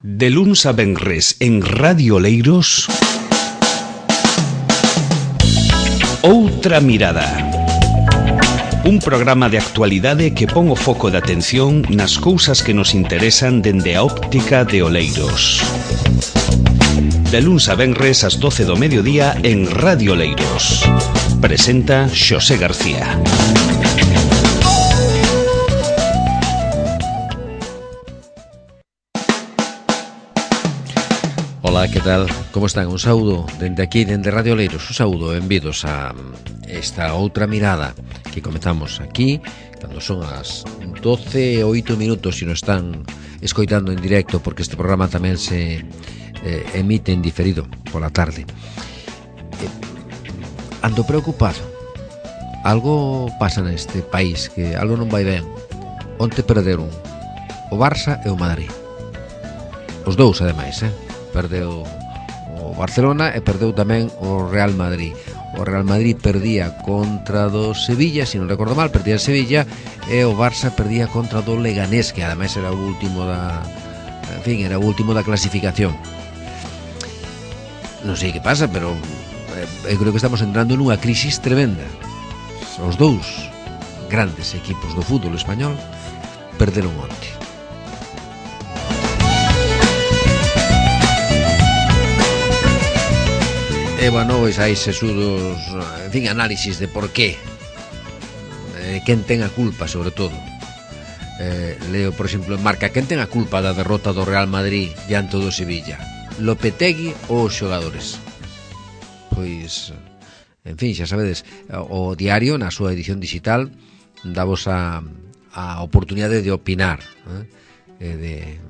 De luns a venres en Radio Oleiros, Outra Mirada. Un programa de actualidade que pon o foco de atención nas cousas que nos interesan dende a óptica de Oleiros. De luns a venres ás 12 do mediodía en Radio Oleiros. Presenta Xosé García. Ola, que tal? Como están? Un saúdo dende aquí, dende Radio Oleiros. Un saúdo, benvidos a esta outra mirada que comezamos aquí cando son as 12 e 8 minutos, se nos están escoitando en directo, porque este programa tamén se emite en diferido pola tarde. Ando preocupado. Algo pasa neste país, que algo non vai ben. Onte perderon o Barça e o Madrid. Os dous, ademais, Perdeu o Barcelona e perdeu tamén o Real Madrid. O Real Madrid perdía contra do Sevilla, se non recordo mal, perdía en Sevilla, e o Barça perdía contra do Leganés, que ademais era o último da, era o último da clasificación. Non sei que pasa, pero eu creo que estamos entrando nunha crisis tremenda. Os dous grandes equipos do fútbol español perderon onte. E, bueno, pois hai sesudos, en fin, análisis de por qué, quen ten a culpa, sobre todo. Leo, por exemplo, en Marca, quen ten a culpa da derrota do Real Madrid diante do Sevilla? Lopetegui ou os xogadores? Pois, en fin, xa sabedes, o diario, na súa edición digital, davos a oportunidade de opinar, de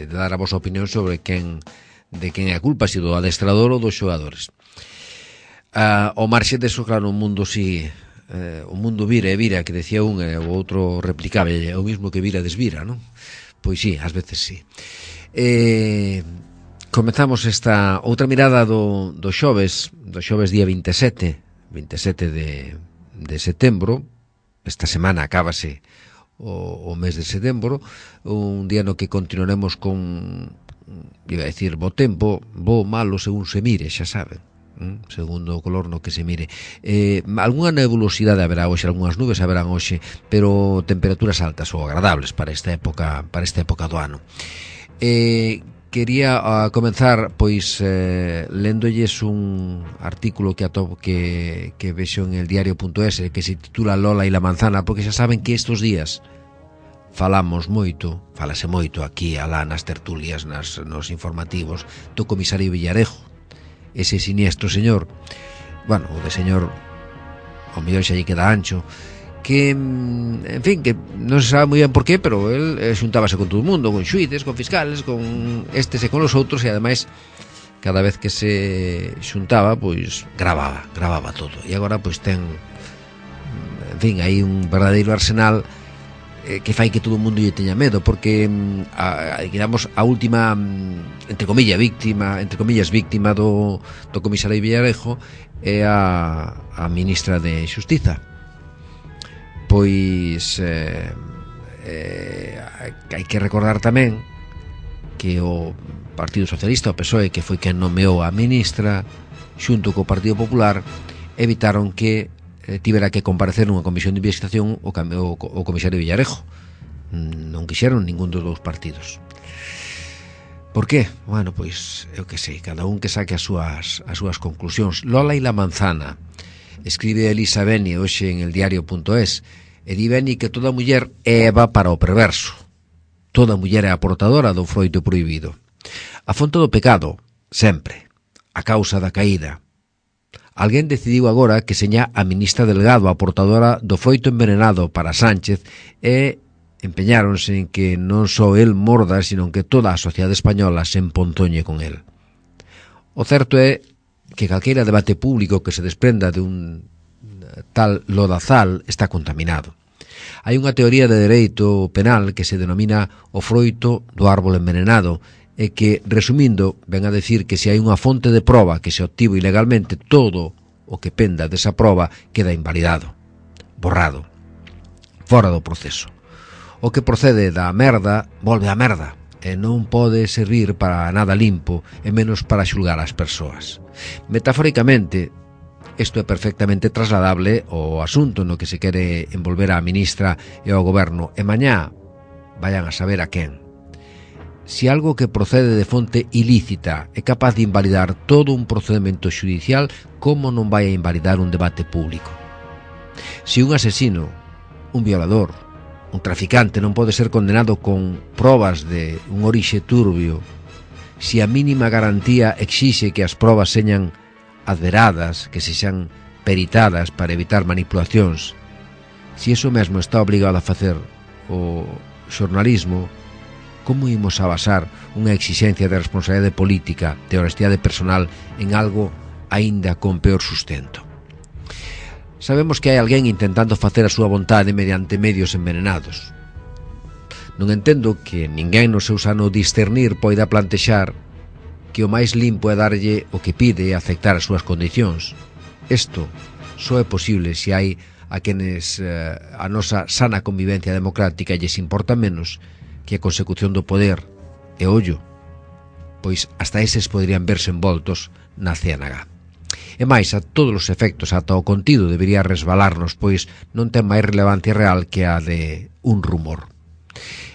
dar a vosa opinión sobre quen é a culpa, se do adestrador ou dos xogadores. O marxe deso, claro, o mundo si o mundo vira e vira, que decía un e o outro replicaba, é o mismo que vira desvira, non? Pois sí, ás veces sí. Comezamos esta outra mirada do xoves día 27 de setembro. Esta semana acábase o mes de setembro, un día no que continuaremos con, iba a decir, bo tempo, bo malo según se mire, xa saben, segundo o color no que se mire. Algunha nebulosidade haberá hoxe, algunhas nubes haberán hoxe, pero temperaturas altas ou agradables para esta época do ano. Quería comenzar pois léndolles un artículo que vexo en el diario.es, que se titula Lola y la manzana, porque xa saben que estos días falase moito aquí alá nas tertulias, nos informativos do comisario Villarejo, ese siniestro señor, bueno, o de señor ao mellor xa lle queda ancho, que, en fin, que non se sabe moi ben por qué, pero el xuntábase con todo o mundo, con xuíces, con fiscales, con estes e con os outros, e ademais cada vez que se xuntaba, pois gravaba todo, e agora pois ten, en fin, hai un verdadeiro arsenal que fai que todo o mundo lle teña medo, porque digamos, a última, entre comillas víctima do comisario Villarejo é a ministra de Xustiza. Pois hai que recordar tamén que o Partido Socialista, o PSOE, que foi quen nomeou a ministra xunto co Partido Popular, evitaron que tivera que comparecer nunha comisión de investigación o comisario Villarejo. Non quixeron ningún dos dous partidos. Por qué? Bueno, pois, eu que sei, cada un que saque as súas conclusións. Lola y la manzana, escribe Elisa Beni hoxe en el diario.es, e di Beni que toda muller é Eva para o perverso. Toda muller é a portadora do froito prohibido. A fonte do pecado, sempre. A causa da caída. Alguén decidiu agora que seña a ministra Delgado a portadora do froito envenenado para Sánchez, e empeñáronse en que non só el morda, sino que toda a sociedade española se emponzoñe con el. O certo é que calqueira debate público que se desprenda de un tal lodazal está contaminado. Hai unha teoría de dereito penal que se denomina o froito do árbol envenenado, e que, resumindo, ven a decir que se hai unha fonte de proba que se obtivo ilegalmente, todo o que penda desa proba queda invalidado, borrado, fora do proceso. O que procede da merda volve á merda, e non pode servir para nada limpo e menos para xulgar as persoas. Metafóricamente, isto é perfectamente trasladable ao asunto no que se quere envolver a ministra e ao goberno, e mañá vayan a saber a quen. Si algo que procede de fonte ilícita é capaz de invalidar todo un procedimento xudicial, como non vai a invalidar un debate público? Si un asesino, un violador, un traficante non pode ser condenado con probas de un orixe turbio, si a mínima garantía exixe que as probas señan adveradas, que sexan peritadas para evitar manipulacións, si eso mesmo está obrigado a facer o xornalismo, como imos a basar unha exixencia de responsabilidade política, de honestidade personal, en algo aínda con peor sustento? Sabemos que hai alguén intentando facer a súa vontade mediante medios envenenados. Non entendo que ninguén no seu sano discernir poida plantexar que o máis limpo é darlle o que pide e aceptar as súas condicións. Isto só é posible se hai a quenes a nosa sana convivencia democrática lles importa menos que a consecución do poder e ollo, pois hasta eses poderían verse envoltos na ciénaga. E máis, a todos os efectos, ata o contido debería resbalarnos, pois non ten máis relevancia real que a de un rumor.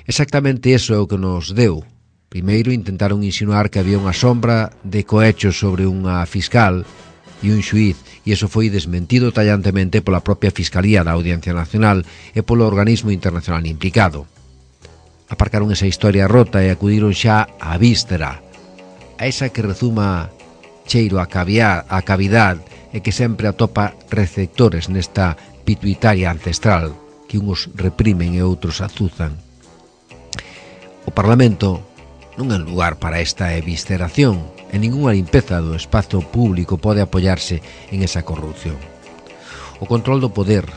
Exactamente iso é o que nos deu. Primeiro intentaron insinuar que había unha sombra de cohechos sobre unha fiscal e un xuiz, e iso foi desmentido tallantemente pola propia Fiscalía da Audiencia Nacional e polo organismo internacional implicado. Aparcaron esa historia rota e acudiron xa á víscera, a esa que rezuma cheiro a cavidade e que sempre atopa receptores nesta pituitaria ancestral que uns reprimen e outros azuzan. O Parlamento non é lugar para esta evisceración e ningunha limpeza do espazo público pode apoiarse en esa corrupción. O control do poder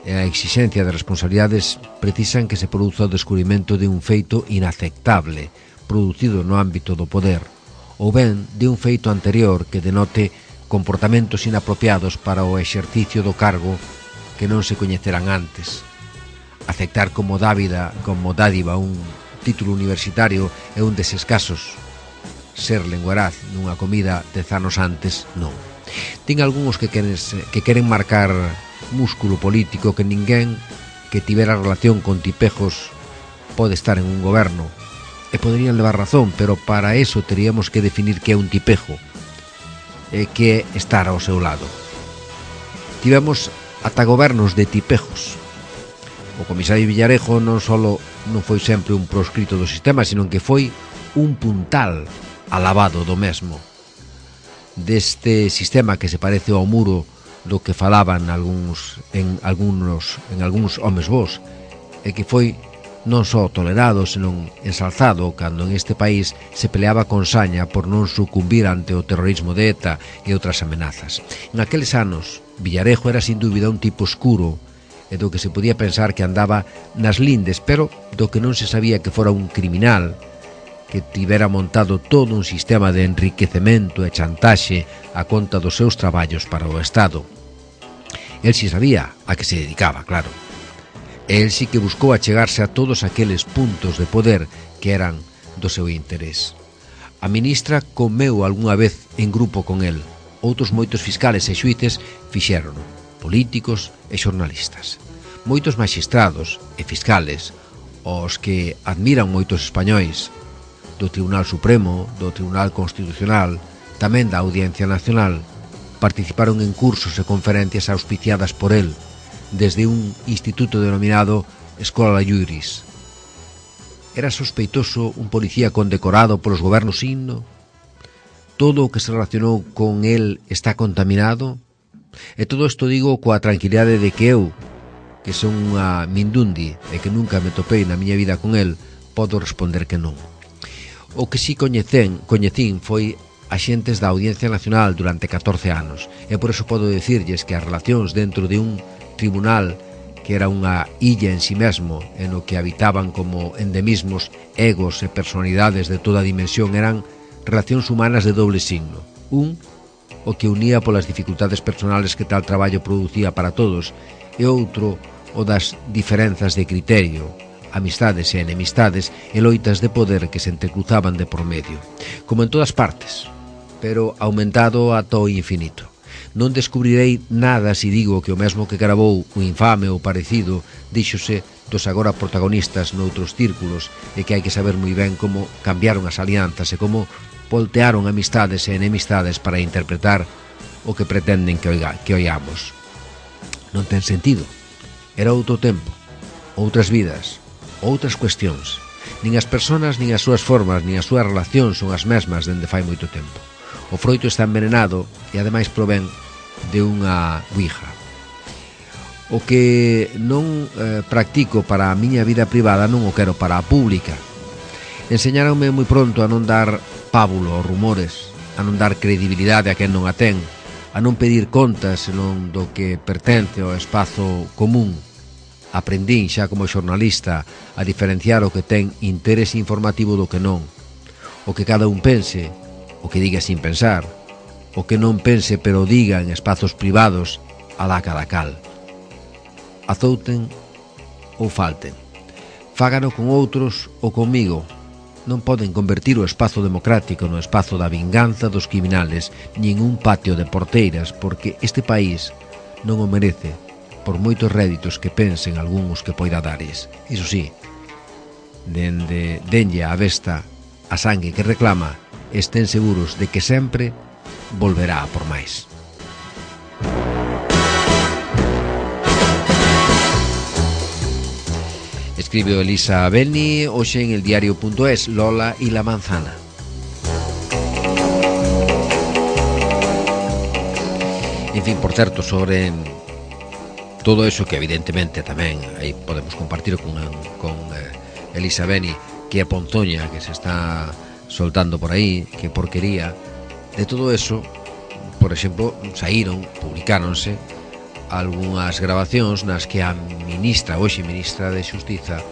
e a exixencia de responsabilidades precisan que se produza o descubrimento de un feito inaceptable producido no ámbito do poder, ou ben de un feito anterior que denote comportamentos inapropiados para o exercicio do cargo que non se coñecerán antes. Aceptar como dádiva un título universitario é un deses casos. Ser lenguaraz nunha comida 10 anos antes, non. Ten algúns que queren marcar músculo político que ninguén que tivera relación con tipejos pode estar en un goberno. E poderían levar razón, pero para eso teríamos que definir que é un tipejo e que é estar ao seu lado. Tivemos ata gobernos de tipejos. O comisario Villarejo non foi sempre un proscrito do sistema, sino que foi un puntal alabado do mesmo. Deste sistema que se parece ao muro do que falaban algúns homes vos, e que foi non só tolerado, senón ensalzado cando en este país se peleaba con saña por non sucumbir ante o terrorismo de ETA e outras amenazas. En aqueles anos, Villarejo era sin dúbida un tipo oscuro e do que se podía pensar que andaba nas lindes, pero do que non se sabía que fora un criminal que tivera montado todo un sistema de enriquecemento e chantaxe a conta dos seus traballos para o Estado. El si sabía a que se dedicaba, claro. El sí que buscou achegarse a todos aqueles puntos de poder que eran do seu interés. A ministra comeu algunha vez en grupo con el. Outros moitos fiscales e xuíces fixérono, políticos e xornalistas. Moitos maxistrados e fiscales, os que admiran moitos españois, do Tribunal Supremo, do Tribunal Constitucional, tamén da Audiencia Nacional, participaron en cursos e conferencias auspiciadas por el, desde un instituto denominado Escola Juris. Era sospeitoso un policía condecorado polos gobernos signo? Todo o que se relacionou con el está contaminado? E todo isto digo coa tranquilidade de que eu, que son unha mindundi e que nunca me topei na miña vida con el, podo responder que non. O que si coñecín foi axentes da Audiencia Nacional durante 14 anos, e por eso podo dicirlles que as relacións dentro de un tribunal que era unha illa en si mesmo, en o que habitaban como endemismos egos e personalidades de toda a dimensión, eran relacións humanas de doble signo. Un, o que unía polas dificultades personales que tal traballo producía para todos, e outro, o das diferenzas de criterio, amistades e enemistades e loitas de poder que se entrecruzaban de por medio, como en todas partes, pero aumentado ata o infinito. Non descubrirei nada se digo que o mesmo que gravou o infame ou parecido díxose dos agora protagonistas noutros círculos e que hai que saber moi ben como cambiaron as alianzas e como voltearon amistades e enemistades para interpretar o que pretenden que oigamos. Non ten sentido. Era outro tempo, outras vidas, outras cuestións. Nin as persoas, nin as súas formas, nin as súas relacións son as mesmas dende fai moito tempo. O froito está envenenado e ademais provén de unha ouija. O que non practico para a miña vida privada non o quero para a pública. Enseñáronme moi pronto a non dar pábulo aos rumores, a non dar credibilidade a quen non a ten, a non pedir contas senón do que pertence ao espazo común. Aprendín xa como xornalista a diferenciar o que ten interese informativo do que non, o que cada un pense, o que diga sin pensar, o que non pense pero diga en espazos privados alá cada cal. Azouten ou falten, fágano con outros ou comigo. Non poden convertir o espazo democrático no espazo da vinganza dos criminales nin un patio de porteiras, porque este país non o merece por moitos réditos que pensen algúns que poida dares. Iso sí, denlle a besta a sangue que reclama, estén seguros de que sempre volverá a por máis. Escribe Elisa Beni hoxe en el diario.es, Lola y la manzana. En fin, por certo, sobre todo eso que evidentemente tamén aí podemos compartir con Elisa Beni, que é ponzoña, que se está soltando por aí, que porquería. De todo eso, por exemplo, publicáronse algunhas grabacións nas que a ministra de Xustiza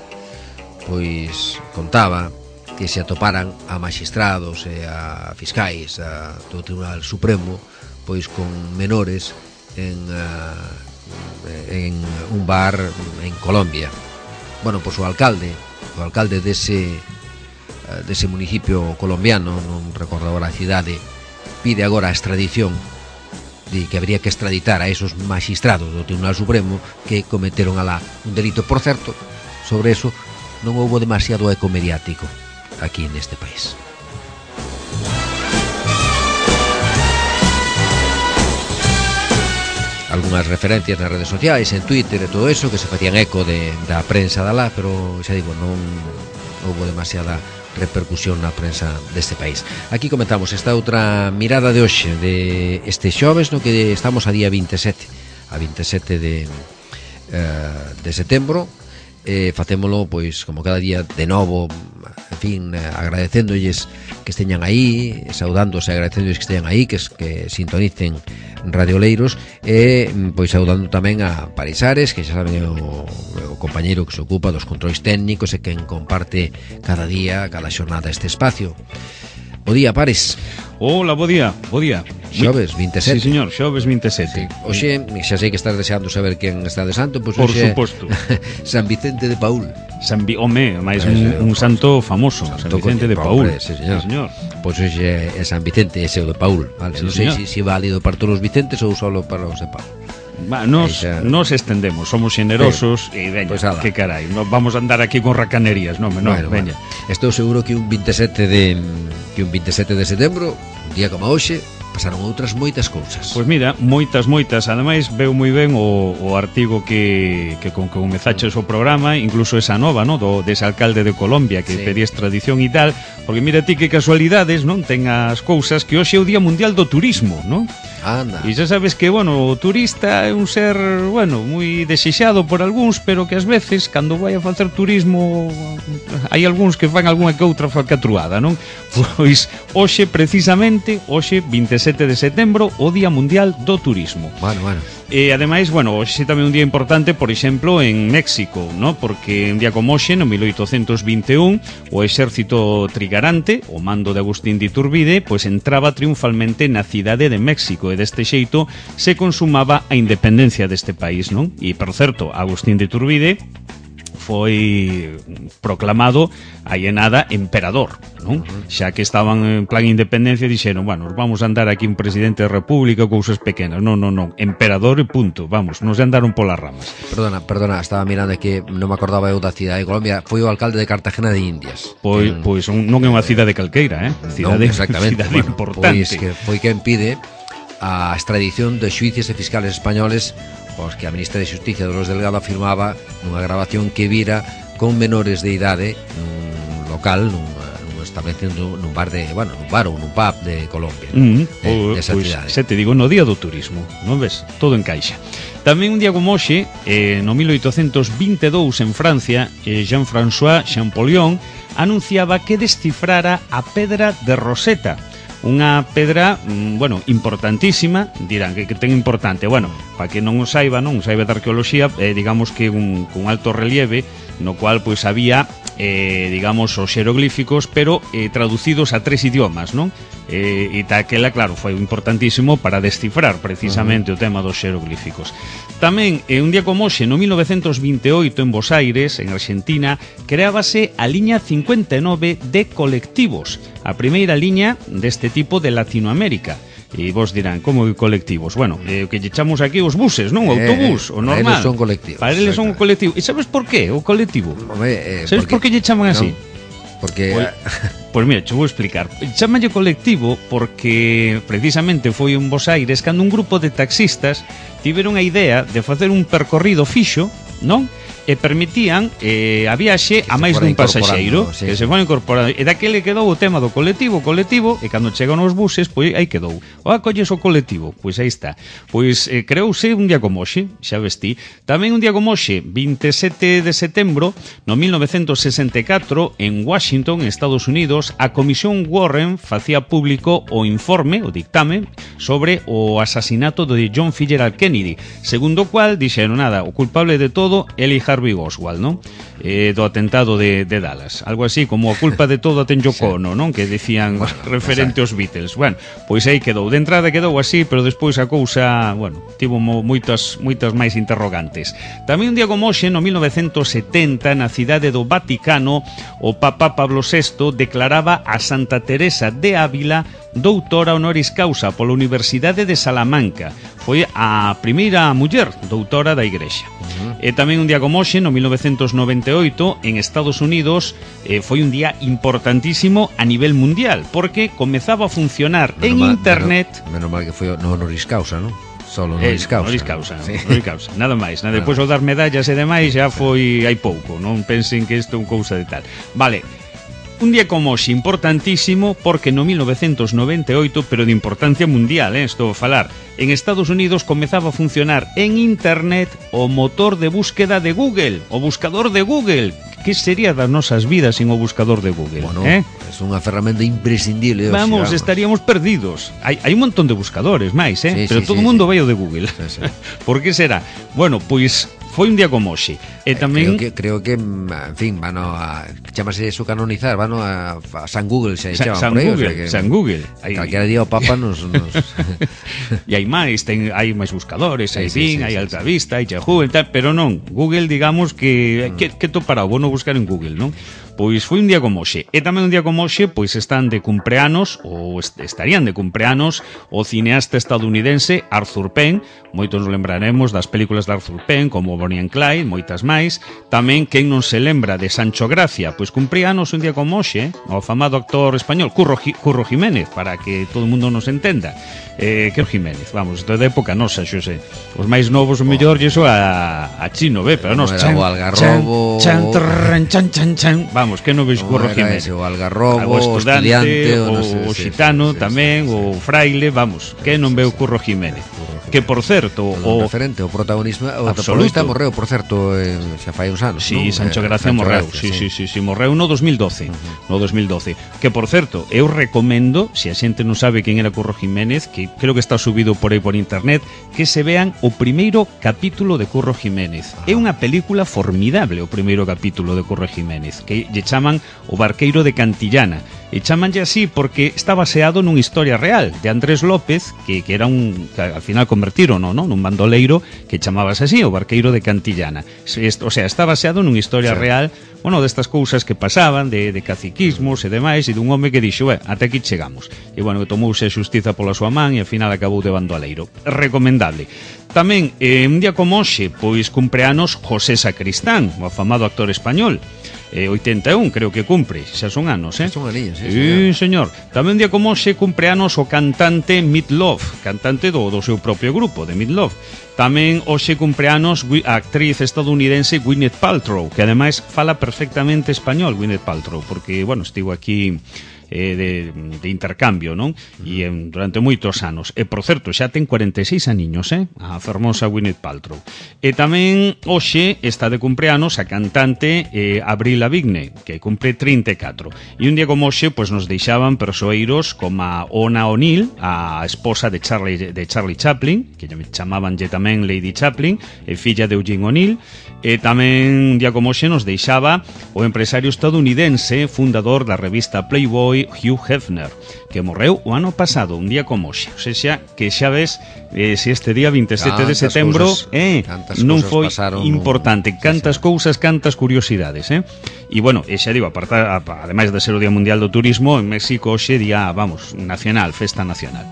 pois contaba que se atoparan a maxistrados e a fiscais do Tribunal Supremo pois con menores en un bar en Colombia. Bueno, pois o alcalde dese municipio colombiano, non recordo agora a cidade, pide agora a extradición, de que habría que extraditar a esos magistrados do Tribunal Supremo que cometeron alá un delito. Por certo, sobre eso non houbo demasiado eco mediático aquí neste país. Algunhas referencias nas redes sociais, en Twitter e todo eso, que se facían eco da prensa de alá, pero xa digo, non houbo demasiada repercusión na prensa deste país. Aquí comentamos esta outra mirada de hoxe, de este xoves, no que estamos a día 27 de setembro. Facémolo, pois, como cada día de novo, en fin, agradecéndolles que esteñan aí, saudándose, agradecéndolles que esteñan aí, que sintonicen Radio Oleiros, e pois saudando tamén a Parisares, que xa saben é o compañeiro que se ocupa dos controis técnicos e quen comparte cada día, cada xornada este espacio. Bo día, Pares. Hola, bo día. Xoves 27. Sí, señor, xoves 27. Sí. Oxe, xa sei que estás deseando saber quen está de santo, pois por oxe, suposto. San Vicente de Paúl. Máis un santo famoso, San Vicente de Paúl. Sí, señor. Sí, señor. Pois hoxe é San Vicente, ese o de Paúl, vale? Sí, non sei se é válido para todos os Vicentes ou solo para os de Paúl. Nos estendemos, somos generosos e veña, pues que carai, non vamos a andar aquí con racanerías, non, veña. Bueno. Estou seguro que un 27 de setembro, un día como hoxe, pasaron outras moitas cousas. Pois mira, moitas, ademais veo moi ben o artigo que comezaches o programa, incluso esa nova, no, dese alcalde de Colombia que pedía extradición e tal, porque mira ti que casualidades, non, ten as cousas que hoxe é o Día Mundial do Turismo, non? Anda. E xa sabes que, bueno, o turista é un ser, bueno, moi desexado por algúns, pero que ás veces, cando vai a facer turismo, hai algúns que fan algunha que outra falcatruada, non? Pois, hoxe, precisamente, 27 de setembro, o Día Mundial do Turismo. Bueno. E, ademais, bueno, hoxe tamén un día importante, por exemplo, en México, ¿no? Porque un día como hoxe, no 1821, o exército trigarante, o mando de Agustín de Iturbide, pois entraba triunfalmente na cidade de México, e deste xeito se consumaba a independencia deste país, non? E, por certo, Agustín de Iturbide foi proclamado aí en nada emperador, non? Xa que estaban en plan independencia dixeron, bueno, vamos a andar aquí un presidente da república, cousas pequenas. Non, emperador e punto, vamos, non se andaron polas ramas. Perdona, estaba mirando que non me acordaba eu da cidade de Colombia, foi o alcalde de Cartagena de Indias. Pois non é unha cidade calqueira, cidade, non, exactamente, cidade importante. Pois que foi quen pide a extradición de xuíces e fiscales españoles os que a ministra de Xusticia Dolores Delgado afirmaba nunha grabación que vira con menores de idade nun local, nun estableciendo nun bar ou nun pub de Colombia, desa cidade. Se te digo, no día do turismo, non ves? Todo encaixa. Tamén un día como hoxe, no 1822 en Francia, Jean-François Champollion anunciaba que descifrara a pedra de Rosetta, unha pedra, importantísima. Dirán que ten importante. Bueno, para que non saiba de arqueoloxía, digamos que un alto relieve no cual pois había digamos os xeroglíficos, pero traducidos a 3 idiomas, non? E taquela, claro, foi importantísimo para descifrar precisamente o tema dos xeroglíficos. Tamén, un día como hoxe, no 1928, en Buenos Aires, en Argentina, creábase a liña 59 de colectivos, a primeira liña deste tipo de Latinoamérica. E vos dirán, como colectivos? Bueno, o que lle chamamos aquí os buses, non? O autobús, o normal. Para eles son colectivos. Para eles son un colectivo. E sabes por qué o colectivo? Sabes por que lle chaman así? Porque... Pois mira, te vou explicar. Chámalle colectivo porque precisamente foi en Buenos Aires cando un grupo de taxistas tiveron a idea de facer un percorrido fixo, non? E permitían a viaxe a máis dun pasaxeiro, que se foi incorporando. E daquele quedou o tema do colectivo, e cando chegan os buses, pois aí quedou. Colles o colectivo, pois aí está. Pois creouse un día como hoxe, xa vestí. Tamén un día como hoxe, 27 de setembro, no 1964, en Washington, Estados Unidos, a Comisión Warren facía público o informe, o dictame, sobre o asasinato de John F. Kennedy, segundo o cual dixeron nada, o culpable de todo, Lee Harvey Oswald, non? Do atentado de Dallas, algo así como a culpa de todo a ten Yoko Ono, non? Que decían referente aos Beatles. Bueno, pois aí quedou, de entrada quedou así, pero despois a cousa, tivo moitas máis interrogantes. Tamén un día como hoxe, no 1970, na cidade do Vaticano, o Papa Pablo VI declaraba a Santa Teresa de Ávila doutora honoris causa pola Universidade de Salamanca. Foi a primeira muller doutora da Igrexa. E tamén un día como hoxe, no 1998, en Estados Unidos, foi un día importantísimo a nivel mundial, porque comezaba a funcionar en internet... Menos mal que foi no honoris causa, non? Solo honoris causa. Honoris causa, nada máis. Depois o dar medallas e demais já foi hai pouco, non pensen que isto é unha cousa de tal. Vale. Un día como hoxe importantísimo porque no 1998, pero de importancia mundial, estou a falar, en Estados Unidos comezaba a funcionar en internet o motor de búsqueda de Google, o buscador de Google. Que sería das nosas vidas sin o buscador de Google? Bueno, é unha ferramenta imprescindible. Vamos, estaríamos perdidos. Hai un montón de buscadores máis, pero todo o mundo vai ao de Google. Por que será? Bueno, pois foi un día como hoxe. E tamén creo que en fin, chamase eso canonizar, a San Google se chama por aí, San Google. Calquera día o Papa nos E hai máis, hai máis buscadores, hai Bing, hai Alta Vista, hai Yahoo e tal, pero non, Google digamos que topará, vou non buscar en Google, non? Pois foi un día como hoxe. E tamén un día como hoxe, pois están de cumpleanos, ou estarían de cumpleanos, o cineasta estadounidense Arthur Penn. Moitos nos lembraremos das películas de Arthur Penn, como Bonnie and Clyde, moitas máis. Tamén, quen non se lembra de Sancho Gracia, pois cumpleanos un día como hoxe, o afamado actor español Curro Jiménez, para que todo o mundo nos entenda. Curro Jiménez, vamos, de época nosa, xose. Os máis novos, o mellor, e iso a chino, pero nos chan, o Algarrobo, chan, vamos, que non veis Curro Jiménez, o Algarrobo, o Estudiante, o Xitano tamén, o Fraile, vamos, que non veu Curro Jiménez. Que, por certo, o referente, o protagonista morreu, por certo, xa fai uns anos. Sí, Sancho Gracia morreu, sí, morreu no 2012. Que, por certo, eu recomendo, se a xente non sabe quen era Curro Jiménez, que creo que está subido por aí por internet, que se vean o primeiro capítulo de Curro Jiménez. É unha película formidable, o primeiro capítulo de Curro Jiménez, que lle chaman O barqueiro de Cantillana. E chamanlle así porque está baseado nunha historia real de Andrés López, que era que al final convertiron, non? Nun bandoleiro que chamábase así, o barqueiro de Cantillana. O sea, está baseado nunha historia real, bueno, destas cousas que pasaban, de caciquismos e demais, e dun home que dixo, até aquí chegamos. E, bueno, que tomouse a xustiza pola súa man e, ao final, acabou de bandoleiro. Recomendable. Tamén, un día como hoxe, pois cumpleanos José Sacristán, o afamado actor español. 81, creo que cumpre, xa son anos, Son aninhos, sí, señor. Tamén un día como hoxe cumpleanos o cantante Meat Loaf, cantante do seu propio grupo, de Meat Loaf. Tamén hoxe cumpleanos a actriz estadounidense Gwyneth Paltrow, que ademais fala perfectamente español, Gwyneth Paltrow, porque, bueno, estivo aquí de intercambio, non? E durante moitos anos. E, por certo, xa ten 46 aniños, a fermosa Gwyneth Paltrow. E tamén hoxe está de cumpleanos a cantante Avril Lavigne, que cumpre 34. E un día como hoxe, pois nos deixaban persoeiros como a Ona O'Neill, a esposa de Charlie Chaplin, que chamabanlle tamén Lady Chaplin, e filla de Eugene O'Neill. E tamén un día como hoxe nos deixaba o empresario estadounidense, fundador da revista Playboy, Hugh Hefner, que morreu o ano pasado, un día como hoxe. O sea, que xa ves se este día 27 de setembro non foi importante. Cantas cousas, cantas curiosidades, E, bueno, xa digo, ademais de ser o Día Mundial do Turismo, en México hoxe día, nacional, festa nacional,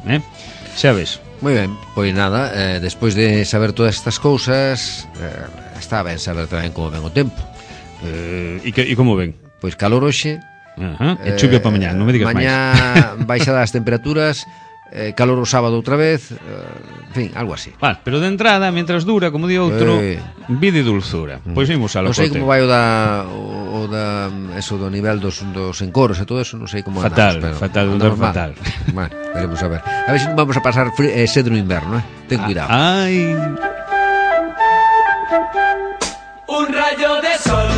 xa ves. Moi ben, pois nada, despois de saber todas estas cousas, está ben saber tamén como ven o tempo. E como ven? Pois calor hoxe. E chuvia para mañá, non me digas máis. Mañá baixada as temperaturas, calor o sábado outra vez, en fin, algo así. Vale, pero de entrada, mientras dura, como di outro, vida e dulzura. Pois imos a lo non sei como vai o do nivel dos encoros e todo eso, non sei como fatal, andamos, fatal. Bueno, veremos a ver. A ver se non vamos a pasar sed no inverno, ten cuidado. Ai. Un rayo de sol,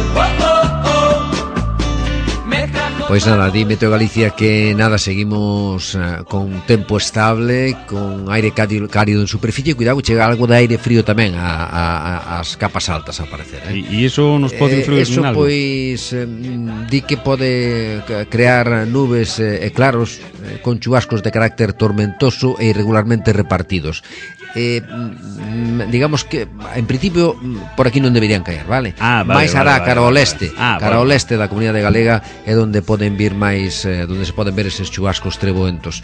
Pois nada, di Meteo Galicia que nada, seguimos con tempo estable, con aire cálido en superficie. Cuidado, chega algo de aire frío tamén as capas altas a aparecer, E iso nos pode influir en algo? Pois di que pode crear nubes e claros con chubascos de carácter tormentoso e irregularmente repartidos. Digamos que en principio por aquí non deberían caer, vale? Mais hará cara ao leste, cara ao leste da comunidade galega é onde poden vir máis, onde se poden ver eses chubascos treboentos,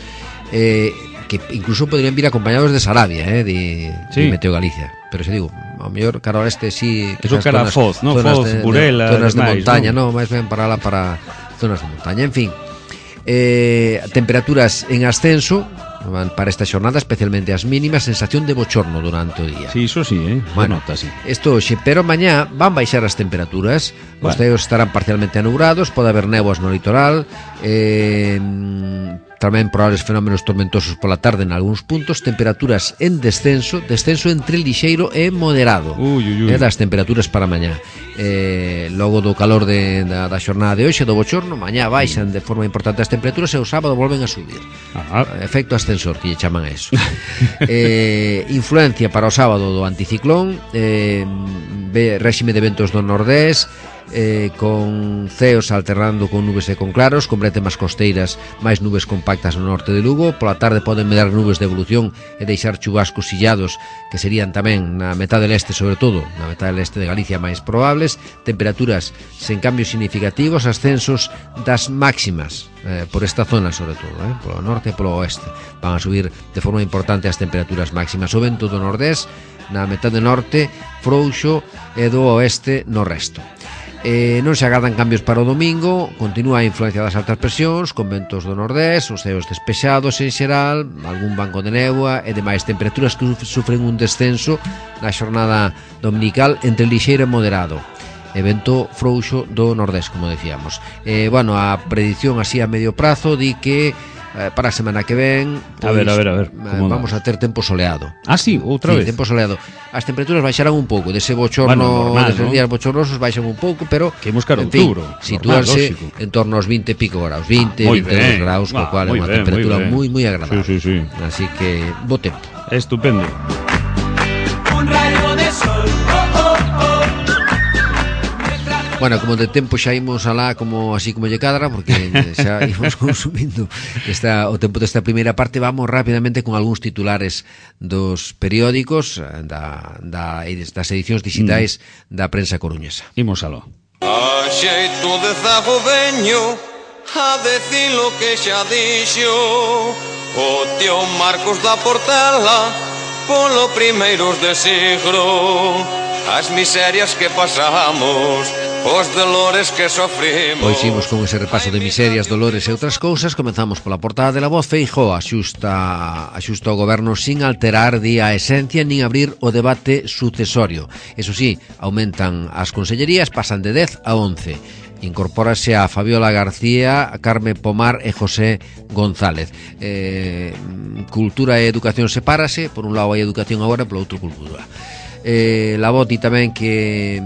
que incluso podrían vir acompañados de Sarabia, di Meteo Galicia. Pero se digo, ao mellor cara ao leste sí, eso cara a Foz, non? Foz, Burela, zonas de montaña, non, máis ben para zonas de montaña, en fin. Temperaturas en ascenso para esta xornada, especialmente as mínimas, sensación de bochorno durante o día. Sí, iso sí, bueno, nota, sí. Isto hoxe, pero mañá van baixar as temperaturas, os ceos estarán parcialmente anubrados, pode haber néboas no litoral, tamén probables fenómenos tormentosos pola tarde en algúns puntos, temperaturas en descenso entre lixeiro e moderado. Das temperaturas para mañá. Logo do calor da xornada de hoxe, do bochorno, mañá baixan de forma importante as temperaturas e o sábado volven a subir. Efecto ascensor, que lle chaman a eso. Influencia para o sábado do anticiclón, réxime de ventos do nordés, con ceos alternando con nubes e con claros, con bretemas costeiras, máis nubes compactas no norte de Lugo. Pola tarde poden medrar nubes de evolución e deixar chubascos illados, que serían tamén na metade leste, sobre todo na metade leste de Galicia, máis probables. Temperaturas sen cambios significativos, ascensos das máximas por esta zona, sobre todo, polo norte e polo oeste. Van a subir de forma importante as temperaturas máximas. O vento do nordés na metade norte, frouxo, e do oeste no resto. Non se agardan cambios para o domingo. Continúa a influencia das altas presións, con ventos do nordés, os ceos despexados en xeral, algún banco de néboa e demais. Temperaturas que sufren un descenso na xornada dominical entre lixeiro e moderado, e vento frouxo do nordés, como decíamos. Bueno, a predición así a medio prazo di que para a semana que ven, pois, a ver, vamos a ter tempo soleado. Sí, outra vez. Tempo soleado. As temperaturas baixarán un pouco, dese bochorno, deses días bochornosos baixan un pouco, pero que buscar outubro, sitúanse en torno aos 20 e pico graus, 22 graus, co cual é unha temperatura moi agradable. Sí. Así que bo tempo. Estupendo. Un rayo de sol. Bueno, como de tempo xa imos alá como así como lle cadra, porque xa imos consumindo o tempo desta primeira parte. Vamos rapidamente con algúns titulares dos periódicos das edicións digitais da prensa coruñesa. Imos aló. A xeito de zago veño a decir lo que xa dixo o tío Marcos da Portela polo primeiros de siglo, as miserias que pasamos, os dolores que sofrimos. Pois imos con ese repaso de miserias, dolores e outras cousas. Comenzamos pola portada de La Voz. Feijóo axusta o goberno sin alterar a esencia nin abrir o debate sucesorio. Eso sí, aumentan as consellerías, pasan de 10 a 11. Incorpórase a Fabiola García, a Carme Pomar e José González. Cultura e educación sepárase. Por un lado hai educación agora, polo outro cultura. La Voz di tamén que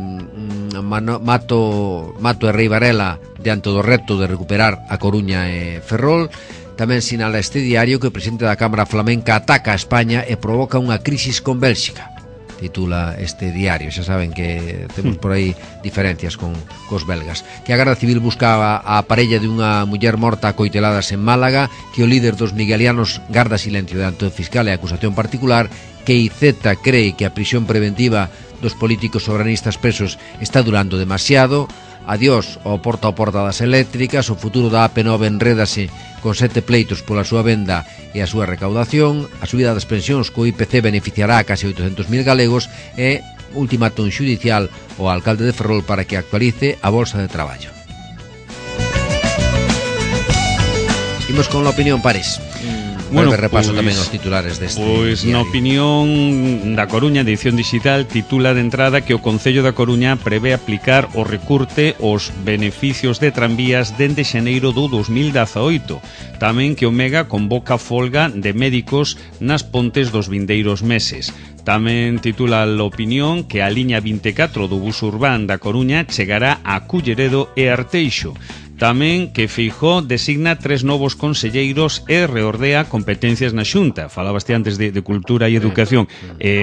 Mato e Rei Varela diante do reto de recuperar a Coruña e Ferrol. Tamén sinala este diario que o presidente da Cámara Flamenca ataca a España e provoca unha crisis con Bélxica. Titula este diario. Xa saben que temos por aí diferencias cos belgas. Que a Garda Civil buscaba a parella de unha muller morta a coiteladas en Málaga, que o líder dos miguelianos garda silencio diante do fiscal e a acusación particular, que IZ cree que a prisión preventiva dos políticos soberanistas presos está durando demasiado. Adiós ao porta das eléctricas. O futuro da AP9 enrédase con 7 pleitos pola súa venda e a súa recaudación. A subida das pensións co IPC beneficiará a case 800.000 galegos. E ultimátum xudicial ao alcalde de Ferrol para que actualice a bolsa de traballo. Imos con la opinión París. Bueno, repaso tamén os titulares deste diario. Na opinión da Coruña, edición digital, titula de entrada que o Concello da Coruña prevé aplicar o recurte os beneficios de tranvías dende xaneiro do 2018. Tamén que o Mega convoca folga de médicos nas pontes dos vindeiros meses. Tamén titula a opinión que a liña 24 do bus urbán da Coruña chegará a Culleredo e Arteixo. Tamén que Feijóo designa 3 novos conselleiros e reordea competencias na Xunta. Falabaste antes de cultura e educación.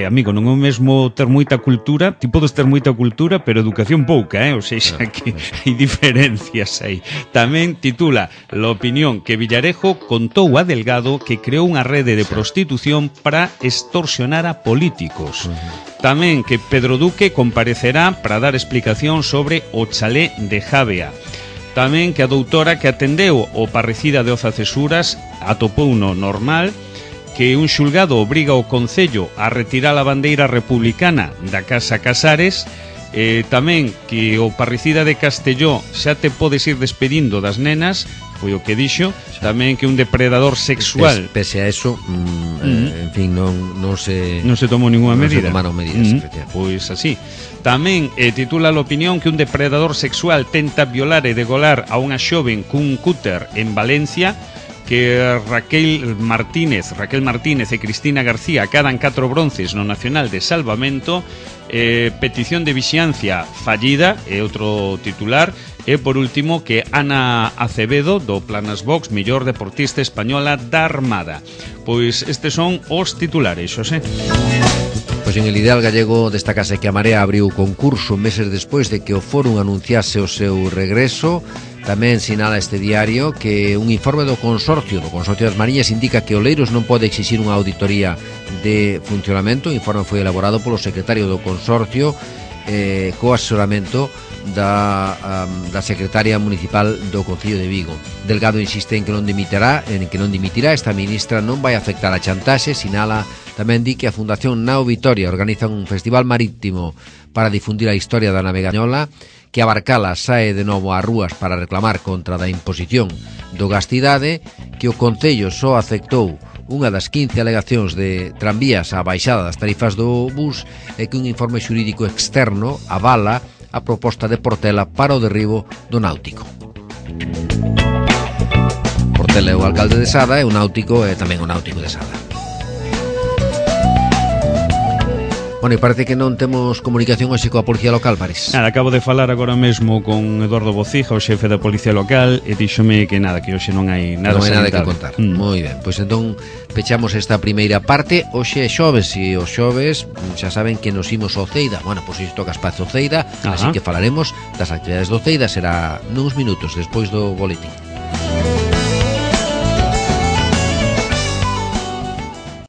Amigo, non é o mesmo ter moita cultura, ti podes ter moita cultura, pero educación pouca, ou seja, que hai diferencias aí. Tamén titula a opinión que Villarejo contou a Delgado que creou unha rede de prostitución para extorsionar a políticos. Tamén que Pedro Duque comparecerá para dar explicación sobre o chalé de Javea. Tamén que a doutora que atendeu o parricida de Oza Cesuras atopouno normal, que un xulgado obriga o Concello a retirar a bandeira republicana da Casa Casares. Tamén que o parricida de Castelló xa te podes ir despedindo das nenas, foi o que dixo. Tamén que un depredador sexual, pese a eso, en fin, non se tomou ninguna medida. Non se tomaron medidas, pois así. Tamén titula a opinión que un depredador sexual tenta violar e degolar a unha xoven cun cúter en Valencia, que Raquel Martínez e Cristina García acadan 4 bronces no Nacional de Salvamento. Petición de vixiancia fallida é outro titular. E por último que Ana Acevedo do Planas Box, mellor deportista española da Armada. Pois estes son os titulares, Xosé. Pois en el Ideal Gallego destacase que a Marea abriu concurso meses despois de que o Fórum anunciase o seu regreso. Tamén sinala este diario que un informe do Consorcio das Mariñas indica que Oleiros non pode exixir unha auditoría de funcionamento. O informe foi elaborado polo secretario do Consorcio co asesoramento da secretaria municipal do Concello de Vigo. Delgado insiste en que non dimitirá. Esta ministra non vai afectar a chantaxe. Sinala tamén di que a Fundación Nao Vitoria organiza un festival marítimo para difundir a historia da navegañola, que a Barcala sae de novo ás rúas para reclamar contra da imposición do Gastidade, que o Concello só aceptou unha das 15 alegacións de tranvías á baixada das tarifas do bus, e que un informe xurídico externo avala a proposta de Portela para o derribo do náutico. Portela é o alcalde de Sada e o náutico é tamén o náutico de Sada. Bueno, e parece que non temos comunicación hoxe coa Policía Local, Paris. Nada, acabo de falar agora mesmo con Eduardo Bociga, o xefe da Policía Local, e díxome que nada, que hoxe non hai nada, non hai nada que salientable. contar. Moi ben, pois entón pechamos esta primeira parte. Hoxe é xoves e os xoves xa saben que nos imos ao Ceida. Bueno, pois isto toca espazo Ceida, así que falaremos das actividades do Ceida, será nuns minutos despois do boletín.